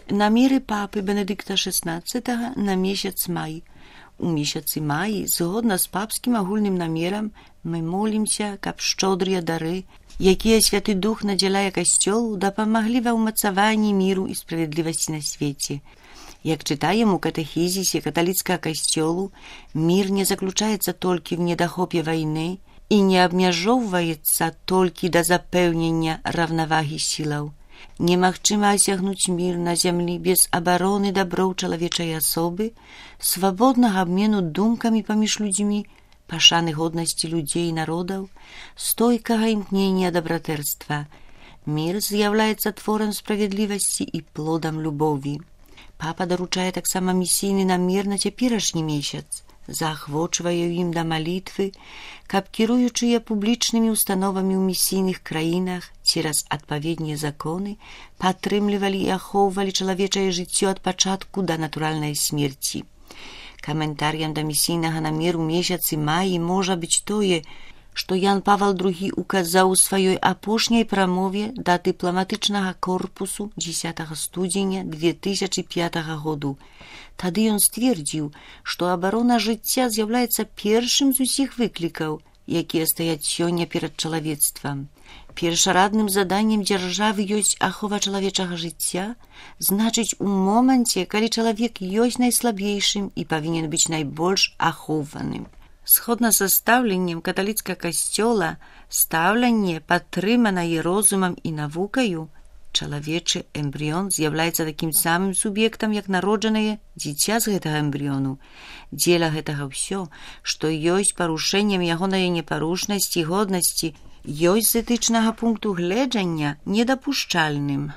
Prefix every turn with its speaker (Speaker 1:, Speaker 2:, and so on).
Speaker 1: Намеры папы Бенедыкта XVI на месяц май. У месяцы маі, згодна з папскім агульным намерам, мы молімся, каб шчодрыя дары, якія Святы Дух надзяляе Касцёлу, дапамаглі ва ўмацаванні міру і справядлівасці на свеце. Як чытаем у катэхізісе каталіцкага Касцёлу, мір не заключаецца толькі в недахопе вайны і не абмяжоўваецца толькі да запэўнення раўнавагі сілаў. Немагчыма асягнуць мір на зямлі без абароны даброў чалавечай асобы, свабоднага абмену думкамі паміж людзьмі, пашаны годнасці людзей і народаў, стойкага імкнення дабратэрства. Мір з'яўляецца творам справядлівасці і плодам любові. Папа даручае таксама місійны намер на цяперашні месяц, заахвочвае ім да малітвы, каб кіруючыя публічнымі установамі ў місійных краінах цераз адпаведныя законы падтрымлівалі і ахоўвалі чалавечае жыццё ад пачатку да натуральнай смерці. Каментарыям да місійнага намеру месяцы маі можа быць тое, што Ян Павел II указаў у сваёй апошняй прамове да дыпламатычнага корпусу 10 студзеня 2005 году. Тады ён сцвердзіў, што абарона жыцця з'яўляецца першым з усіх выклікаў, якія стаяць сёння перад чалавецтвам. Першарадным заданнем дзяржавы ёсць ахова чалавечага жыцця, значыць, у моманце, калі чалавек ёсць найслабейшым і павінен быць найбольш ахоўваным. Згодна са стаўленнем каталіцкага касцёла, стаўленне, падтрыманае розумам і навукаю, чалавечы эмбрыён з'яўляецца такім самым суб'ектам, як народжанае дзіця з гэтага эмбрыёну. Дзеля гэтага ўсё, што ёсць парушэннем ягонай непарушнасці і годнасці, ёсць з этычнага пункту гледжання недапушчальным.